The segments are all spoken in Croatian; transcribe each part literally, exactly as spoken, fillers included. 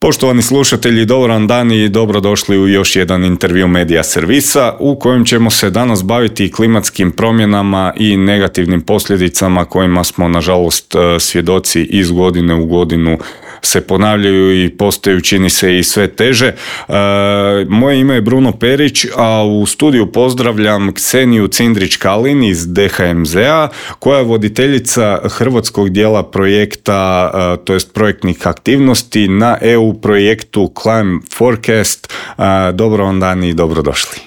Poštovani slušatelji, dobar vam dan i dobrodošli u još jedan intervju Medija servisa u kojem ćemo se danas baviti klimatskim promjenama i negativnim posljedicama kojima smo nažalost svjedoci iz godine u godinu se ponavljaju i postaju, čini se, i sve teže. E, moje ime je Bruno Perić, a u studiju pozdravljam Kseniju Cindrić-Kalin iz D H M Z-a, koja je voditeljica hrvatskog dijela projekta, e, to jest projektnih aktivnosti na E U projektu Climate Forecast. E, dobro vam dan i dobrodošli.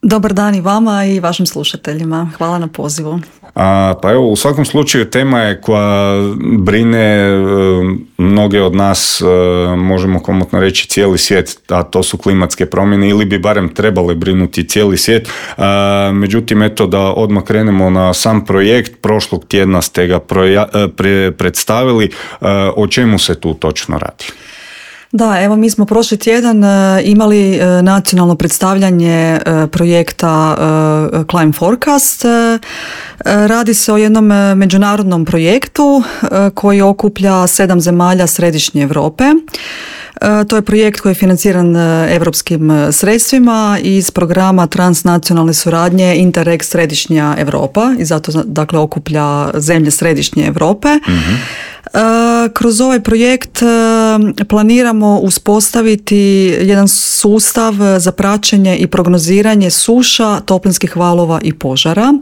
Dobar dan i vama i vašim slušateljima. Hvala na pozivu. A, pa evo, u svakom slučaju tema je koja brine e, mnoge od nas, e, možemo komotno reći cijeli svijet, a to su klimatske promjene, ili bi barem trebale brinuti cijeli svijet. E, međutim, eto da odmah krenemo na sam projekt. Prošlog tjedna ste ga proja, pre, predstavili. E, o čemu se tu točno radi? Da, evo mi smo prošli tjedan imali nacionalno predstavljanje projekta Climate Forecast. Radi se o jednom međunarodnom projektu koji okuplja sedam zemalja središnje Europe. To je projekt koji je financiran europskim sredstvima iz programa transnacionalne suradnje Interreg Središnja Europa i zato dakle okuplja zemlje središnje Europe. Mm-hmm. Kroz ovaj projekt planiramo uspostaviti jedan sustav za praćenje i prognoziranje suša, toplinskih valova i požara.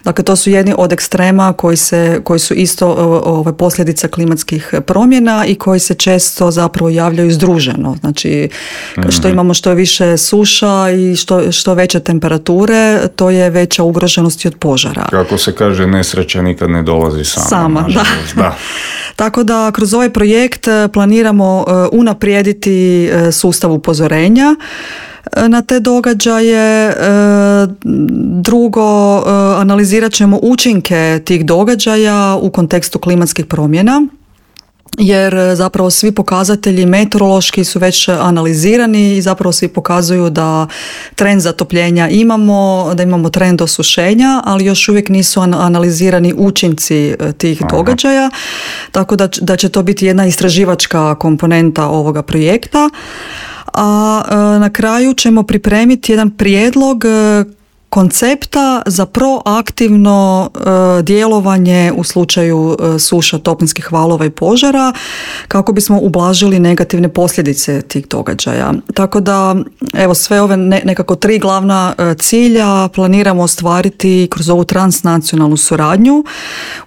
Dakle, to su jedni od ekstrema koji, se, koji su isto ove, posljedica klimatskih promjena i koji se često zapravo javljaju združeno. Znači, što imamo što je više suša i što, što veće temperature, to je veća ugroženost od požara. Kako se kaže, nesreća nikad ne dolazi sama. Sama, da. da. Tako da kroz ovaj projekt planiramo unaprijediti sustav upozorenja na te događaje. Drugo, analizirat ćemo učinke tih događaja u kontekstu klimatskih promjena, jer zapravo svi pokazatelji meteorološki su već analizirani i zapravo svi pokazuju da trend zatopljenja imamo, da imamo trend osušenja, ali još uvijek nisu analizirani učinci tih Aha. događaja, tako da, da će to biti jedna istraživačka komponenta ovoga projekta. A na kraju ćemo pripremiti jedan prijedlog koncepta za proaktivno e, djelovanje u slučaju e, suša, toplinskih valova i požara, kako bismo ublažili negativne posljedice tih događaja. Tako da, evo, sve ove ne, nekako tri glavna e, cilja planiramo ostvariti kroz ovu transnacionalnu suradnju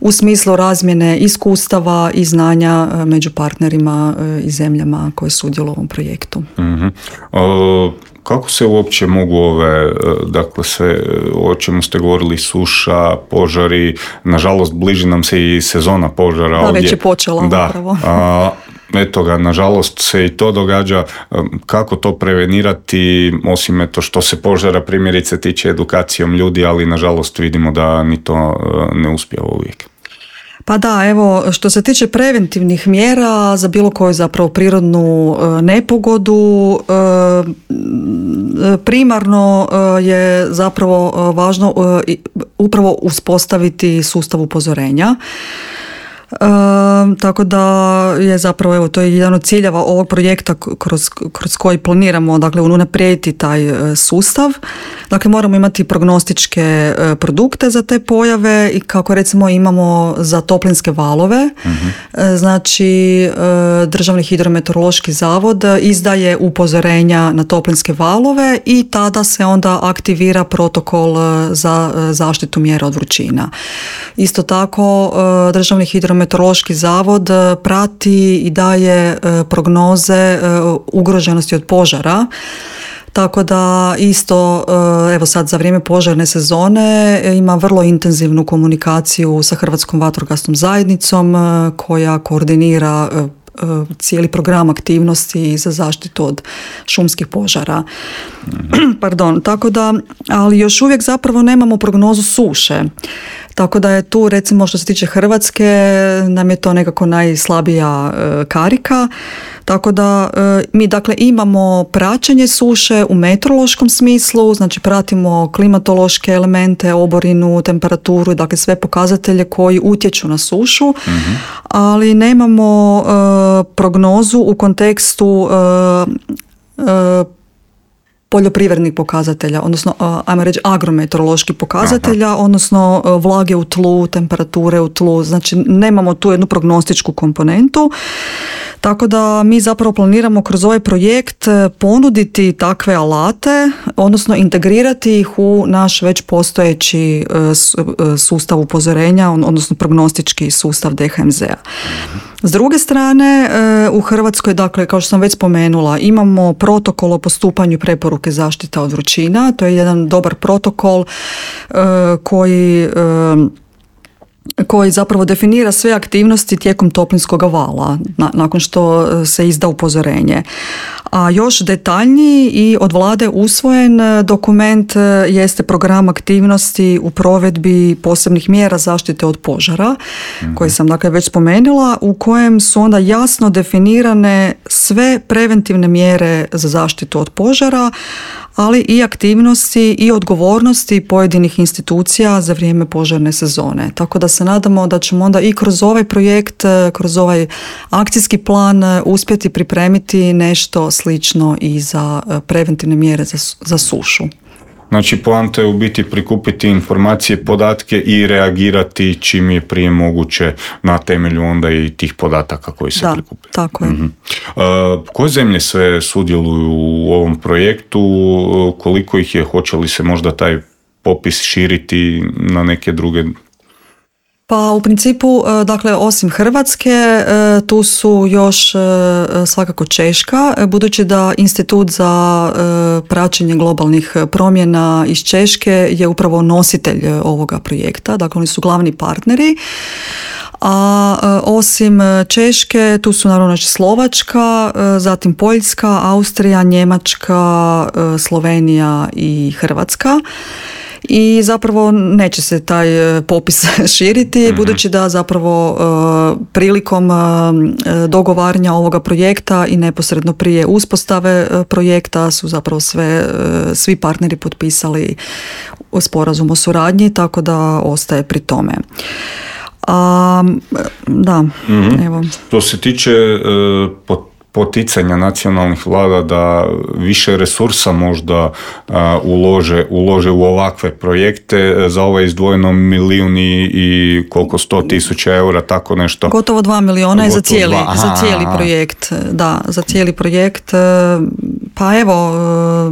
u smislu razmjene iskustava i znanja e, među partnerima e, i zemljama koje sudjeluju u ovom projektu. Mm-hmm. O... Kako se uopće mogu ove, dakle sve o čemu ste govorili, suša, požari, nažalost bliži nam se i sezona požara. Da, ovdje. Već je počela da, upravo. A, eto ga, nažalost se i to događa. Kako to prevenirati, osim eto što se požara primjerice tiče edukacijom ljudi, ali nažalost vidimo da ni to ne uspijeva uvijek. Pa da, evo, što se tiče preventivnih mjera za bilo koju zapravo prirodnu e, nepogodu, e, primarno e, je zapravo e, važno e, upravo uspostaviti sustav upozorenja. E, tako da je zapravo, evo, to je jedan od ciljeva ovog projekta kroz, kroz koji planiramo, dakle, unaprijediti taj e, sustav. Dakle, moramo imati prognostičke e, produkte za te pojave i kako recimo imamo za toplinske valove. Mm-hmm. E, znači, e, Državni hidrometeorološki zavod izdaje upozorenja na toplinske valove i tada se onda aktivira protokol za e, zaštitu mjera od vrućina. Isto tako, e, Državni hidrometeorološki Meteorološki zavod prati i daje prognoze ugroženosti od požara. Tako da isto, evo sad za vrijeme požarne sezone ima vrlo intenzivnu komunikaciju sa Hrvatskom vatrogasnom zajednicom koja koordinira cijeli program aktivnosti za zaštitu od šumskih požara. Mm-hmm. Pardon, tako da, ali još uvijek zapravo nemamo prognozu suše. Tako da je tu, recimo što se tiče Hrvatske, nam je to nekako najslabija e, karika. Tako da e, mi dakle imamo praćenje suše u meteorološkom smislu, znači pratimo klimatološke elemente, oborinu, temperaturu, dakle sve pokazatelje koji utječu na sušu, mm-hmm. ali nemamo e, prognozu u kontekstu e, e, poljoprivrednih pokazatelja, odnosno, ajmo reći, agrometeoroloških pokazatelja, Aha. odnosno vlage u tlu, temperature u tlu, znači nemamo tu jednu prognostičku komponentu, tako da mi zapravo planiramo kroz ovaj projekt ponuditi takve alate, odnosno integrirati ih u naš već postojeći sustav upozorenja, odnosno prognostički sustav D H M Z-a. S druge strane, u Hrvatskoj, dakle, kao što sam već spomenula, imamo protokol o postupanju preporuke zaštita od vrućina. To je jedan dobar protokol koji koji zapravo definira sve aktivnosti tijekom toplinskog vala na, nakon što se izda upozorenje. A još detaljniji i od vlade usvojen dokument jeste program aktivnosti u provedbi posebnih mjera zaštite od požara, mm-hmm. koji sam dakle već spomenula, u kojem su onda jasno definirane sve preventivne mjere za zaštitu od požara, ali i aktivnosti i odgovornosti pojedinih institucija za vrijeme požarne sezone. Tako da se nadamo da ćemo onda i kroz ovaj projekt, kroz ovaj akcijski plan uspjeti pripremiti nešto slično i za preventivne mjere za, za sušu. Znači, poanta je u biti prikupiti informacije, podatke i reagirati čim je prije moguće na temelju onda i tih podataka koji se da, prikupe. Tako je. Mm-hmm. Uh, koje zemlje sve sudjeluju u ovom projektu? Koliko ih je? Hoće li se možda taj popis širiti na neke druge? Pa u principu, dakle, osim Hrvatske, tu su još svakako Češka, budući da Institut za praćenje globalnih promjena iz Češke je upravo nositelj ovoga projekta, dakle oni su glavni partneri. A osim Češke, tu su naravno Slovačka, zatim Poljska, Austrija, Njemačka, Slovenija i Hrvatska. I zapravo neće se taj popis širiti, mm-hmm. budući da zapravo uh, prilikom uh, dogovaranja ovoga projekta i neposredno prije uspostave uh, projekta su zapravo sve, uh, svi partneri potpisali sporazum o suradnji, tako da ostaje pri tome. A, da, mm-hmm. evo. Što se tiče uh, pot poticanja nacionalnih vlada da više resursa možda uh, ulože, ulože u ovakve projekte, za ovo je izdvojeno milijun i, i koliko sto tisuća eura, tako nešto. Gotovo dva milijuna je za cijeli, za cijeli projekt. Da, za cijeli projekt. Pa evo,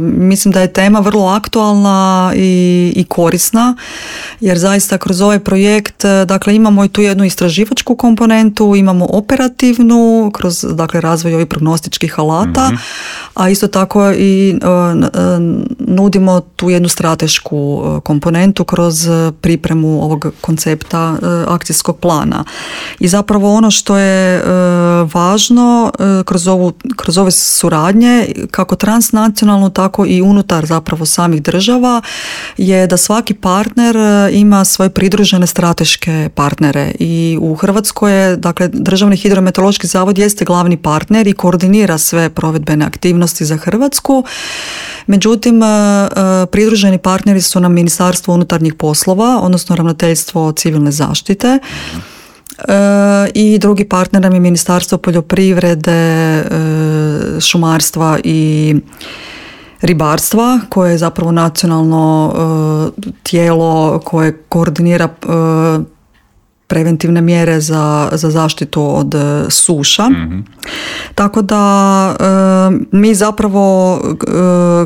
mislim da je tema vrlo aktualna i, i korisna, jer zaista kroz ovaj projekt, dakle, imamo i tu jednu istraživačku komponentu, imamo operativnu, kroz, dakle, razvoj ovih prognostičkih alata, mm-hmm. a isto tako i uh, nudimo tu jednu stratešku uh, komponentu kroz pripremu ovog koncepta uh, akcijskog plana. I zapravo ono što je uh, važno uh, kroz, ovu, kroz ove suradnje, kako transnacionalno, tako i unutar zapravo samih država, je da svaki partner ima svoje pridružene strateške partnere. I u Hrvatskoj je, dakle, Državni hidrometeorološki zavod jeste glavni partner i koordinira sve provedbene aktivnosti za Hrvatsku. Međutim, pridruženi partneri su nam Ministarstvo unutarnjih poslova, odnosno Ravnateljstvo civilne zaštite, i drugi partner nam je Ministarstvo poljoprivrede, šumarstva i ribarstva, koje je zapravo nacionalno tijelo koje koordinira preventivne mjere za, za zaštitu od suša. Mm-hmm. Tako da e, mi zapravo e,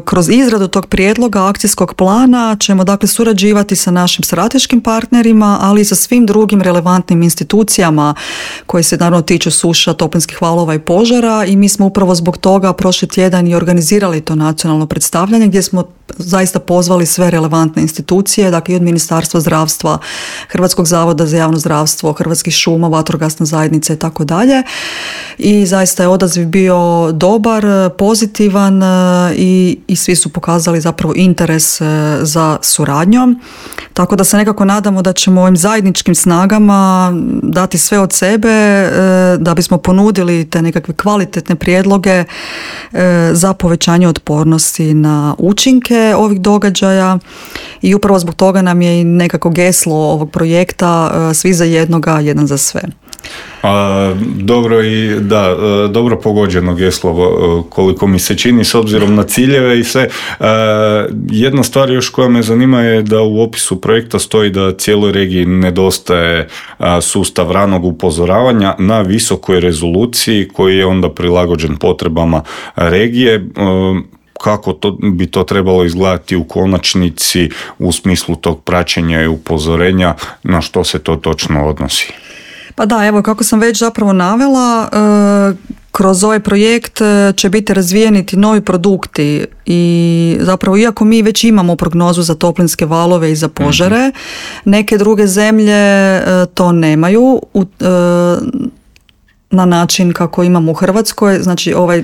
kroz izradu tog prijedloga akcijskog plana ćemo, dakle, surađivati sa našim strateškim partnerima, ali i sa svim drugim relevantnim institucijama koje se naravno tiču suša, toplinskih valova i požara, i mi smo upravo zbog toga prošli tjedan i organizirali to nacionalno predstavljanje gdje smo zaista pozvali sve relevantne institucije, dakle i od Ministarstva zdravstva, Hrvatskog zavoda za javno zdravstvo, zdravstvo, Hrvatskih šuma, vatrogasna zajednica i tako dalje. I zaista je odaziv bio dobar, pozitivan i, i svi su pokazali zapravo interes za suradnjom. Tako da se nekako nadamo da ćemo ovim zajedničkim snagama dati sve od sebe da bismo ponudili te nekakve kvalitetne prijedloge za povećanje otpornosti na učinke ovih događaja i upravo zbog toga nam je i nekako geslo ovog projekta svi za jednoga, jedan za sve. A, dobro i da, dobro pogođeno geslo koliko mi se čini s obzirom na ciljeve i sve. A, jedna stvar još koja me zanima je da u opisu projekta stoji da cijeloj regiji nedostaje a, sustav ranog upozoravanja na visokoj rezoluciji koji je onda prilagođen potrebama regije. A, kako to, bi to trebalo izgledati u konačnici u smislu tog praćenja i upozorenja, na što se to točno odnosi? Pa da, evo kako sam već zapravo navela, kroz ovaj projekt će biti razvijeni ti novi produkti i zapravo iako mi već imamo prognozu za toplinske valove i za požare, neke druge zemlje to nemaju u na način kako imamo u Hrvatskoj. Znači ovaj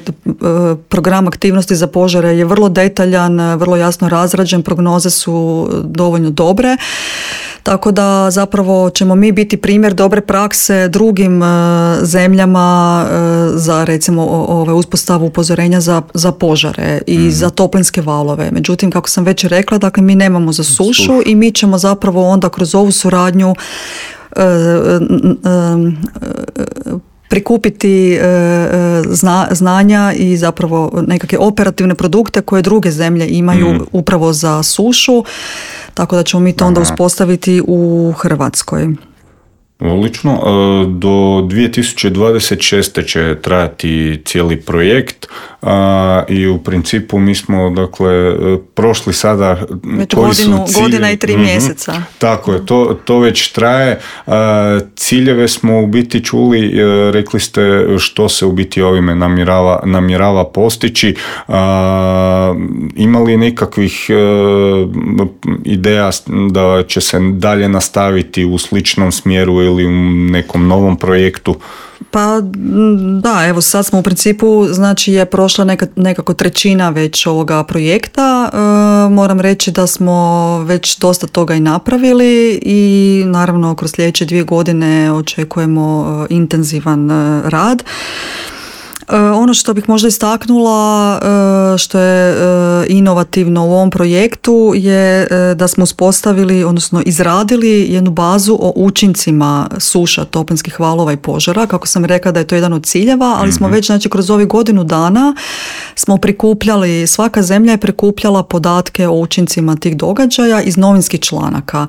program aktivnosti za požare je vrlo detaljan, vrlo jasno razrađen, prognoze su dovoljno dobre. Tako da zapravo ćemo mi biti primjer dobre prakse drugim zemljama za recimo ove uspostavu upozorenja za, za požare i mm-hmm. za toplinske valove. Međutim, kako sam već rekla, dakle mi nemamo za sušu Suš. i mi ćemo zapravo onda kroz ovu suradnju uh, uh, uh, prikupiti zna, znanja i zapravo nekakve operativne produkte koje druge zemlje imaju mm. upravo za sušu, tako da ćemo mi to onda uspostaviti u Hrvatskoj. Odlično. Do dvije tisuće dvadeset šeste će trajati cijeli projekt i u principu mi smo dakle prošli sada već koji godinu, su cilje... godina i tri mm-hmm. mjeseca. Tako je, to, to već traje. Ciljeve smo u biti čuli, rekli ste što se u biti ovime namjerava, namjerava postići. Ima li nekakvih ideja da će se dalje nastaviti u sličnom smjeru ili u nekom novom projektu? Pa da, evo sad smo u principu, znači je prošla neka, nekako trećina već ovoga projekta. E, moram reći da smo već dosta toga i napravili i naravno kroz sljedeće dvije godine očekujemo e, intenzivan e, rad. Ono što bih možda istaknula, što je inovativno u ovom projektu je da smo uspostavili, odnosno izradili jednu bazu o učincima suša, toplinskih valova i požara. Kako sam rekla da je to jedan od ciljeva, ali smo već znači kroz ovih godinu dana smo prikupljali, svaka zemlja je prikupljala podatke o učincima tih događaja iz novinskih članaka.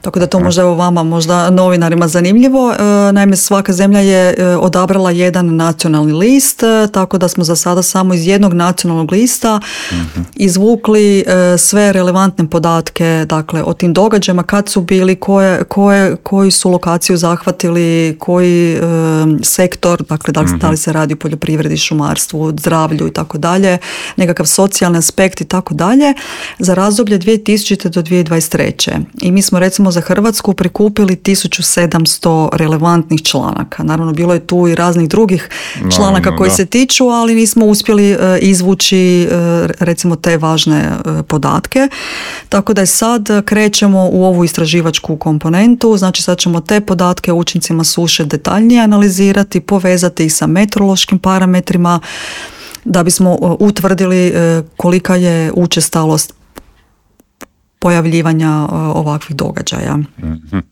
Tako da to možda evo vama, možda novinarima zanimljivo. Naime, svaka zemlja je odabrala jedan nacionalni list, tako da smo za sada samo iz jednog nacionalnog lista mm-hmm. izvukli sve relevantne podatke, dakle o tim događajima, kad su bili, koje, koje, koji su lokaciju zahvatili, koji um, sektor, dakle da li, mm-hmm. da li se radi o poljoprivredi, šumarstvu, zdravlju i tako dalje, nekakav socijalni aspekt i tako dalje, za razdoblje dvije tisućite do dvije tisuće dvadeset treće. I mi smo recimo za Hrvatsku prikupili tisuću sedamsto relevantnih članaka. Naravno, bilo je tu i raznih drugih članaka no, koji da. se tiču, ali nismo uspjeli uh, izvući uh, recimo te važne uh, podatke. Tako da je sad krećemo u ovu istraživačku komponentu, znači sad ćemo te podatke o učincima suše detaljnije analizirati, povezati ih sa meteorološkim parametrima da bismo uh, utvrdili uh, kolika je učestalost pojavljivanja uh, ovakvih događaja. Mm-hmm.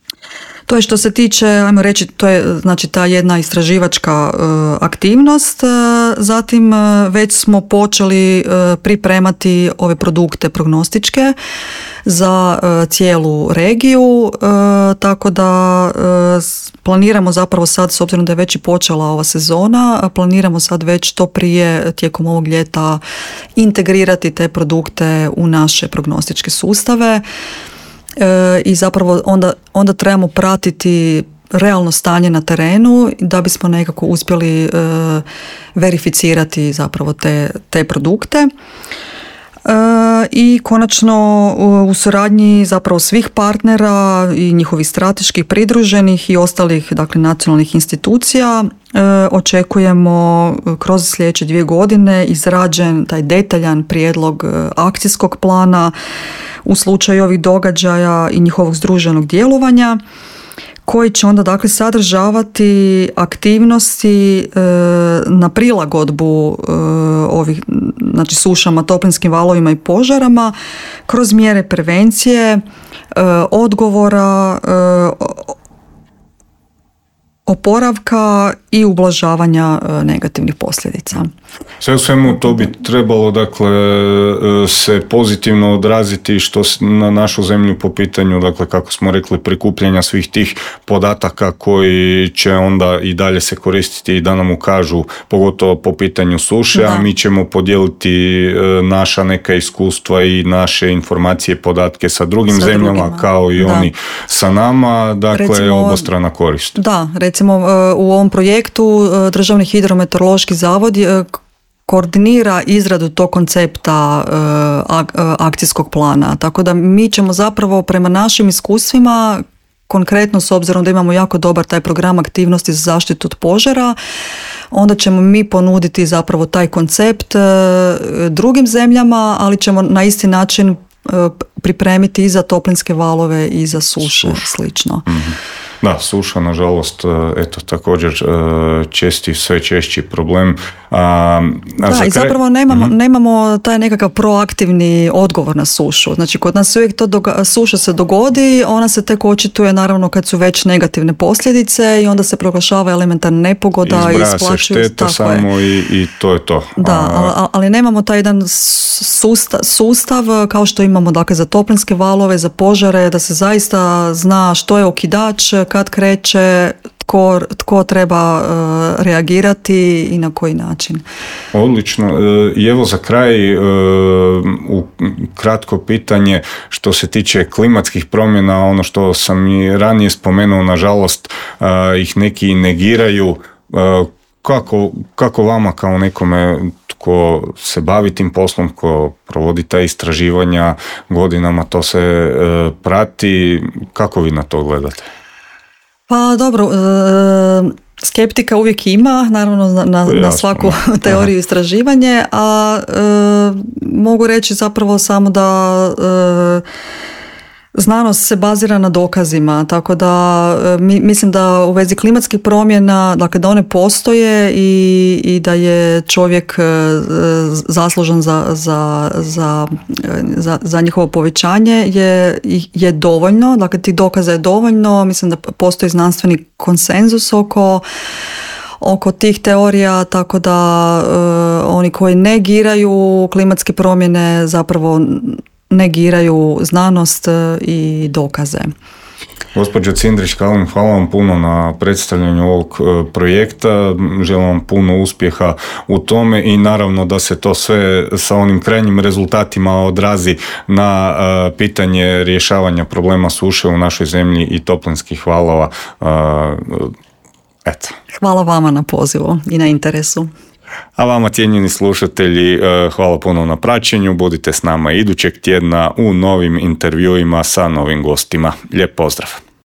To je što se tiče, ajmo reći, to je znači ta jedna istraživačka uh, aktivnost. Uh, zatim uh, već smo počeli uh, pripremati ove produkte prognostičke za uh, cijelu regiju, uh, tako da uh, planiramo zapravo sad, s obzirom da je već i počela ova sezona, planiramo sad već to prije tijekom ovog ljeta integrirati te produkte u naše prognostičke sustave. E, i zapravo onda, onda trebamo pratiti realno stanje na terenu da bismo nekako uspjeli e, verificirati zapravo te, te produkte. I konačno u suradnji zapravo svih partnera i njihovih strateških pridruženih i ostalih, dakle, nacionalnih institucija očekujemo kroz sljedeće dvije godine izrađen taj detaljan prijedlog akcijskog plana u slučaju ovih događaja i njihovog združenog djelovanja, koji će onda, dakle, sadržavati aktivnosti e, na prilagodbu e, ovih, znači, sušama, toplinskim valovima i požarama kroz mjere prevencije, e, odgovora, e, oporavka i ublažavanja negativnih posljedica. Sve u svemu to bi trebalo, dakle, se pozitivno odraziti što na našu zemlju po pitanju, dakle, kako smo rekli, prikupljanja svih tih podataka koji će onda i dalje se koristiti i da nam ukažu, pogotovo po pitanju suše, da. A mi ćemo podijeliti naša neka iskustva i naše informacije, podatke sa drugim sa zemljama, drugima. Kao i da. Oni sa nama, dakle, recimo, obostrana korist. Da, recimo u ovom projektu Državni hidrometeorološki zavod koordinira izradu tog koncepta akcijskog plana, tako da mi ćemo zapravo prema našim iskustvima, konkretno s obzirom da imamo jako dobar taj program aktivnosti za zaštitu od požara, onda ćemo mi ponuditi zapravo taj koncept drugim zemljama, ali ćemo na isti način pripremiti i za toplinske valove i za suše, Suš. slično. Mm-hmm. Da, suša, nažalost, eto, također česti, sve češći problem. A, a da, za i kraj... zapravo nemamo, mm-hmm. nemamo taj nekakav proaktivni odgovor na sušu. Znači, kod nas uvijek to doga- suša se dogodi, ona se tek očituje naravno kad su već negativne posljedice i onda se proglašava elementarna nepogoda i isplaćuju. Se šteta samo i, i to je to. Da, a, ali nemamo taj jedan sustav, sustav kao što imamo, dakle, za toplinske valove, za požare, da se zaista zna što je okidač, kad kreće, tko, tko treba uh, reagirati i na koji način. Odlično. I evo za kraj uh, u kratko pitanje što se tiče klimatskih promjena, ono što sam i ranije spomenuo, nažalost uh, ih neki negiraju. Uh, kako, kako vama kao nekome ko se bavi tim poslom, ko provodi ta istraživanja godinama, to se uh, prati, kako vi na to gledate? Pa dobro, skeptika uvijek ima, naravno na, na, na svaku teoriju istraživanje, a e, mogu reći zapravo samo da e, znanost se bazira na dokazima, tako da mi, mislim da u vezi klimatskih promjena, dakle, da one postoje i, i da je čovjek zaslužan za, za, za, za, za njihovo povećanje je, je dovoljno, dakle, tih dokaza je dovoljno, mislim da postoji znanstveni konsenzus oko oko tih teorija, tako da uh, oni koji negiraju klimatske promjene zapravo negiraju znanost i dokaze. Gospođo Cindrić-Kalin, hvala vam puno na predstavljanju ovog projekta, želim vam puno uspjeha u tome i naravno da se to sve sa onim krajnjim rezultatima odrazi na uh, pitanje rješavanja problema suše u našoj zemlji i toplinskih valova. Uh, eto. Hvala vama na pozivu i na interesu. A vama, cijenjeni slušatelji, hvala puno na praćenju. Budite s nama idućeg tjedna u novim intervjuima sa novim gostima. Lijep pozdrav!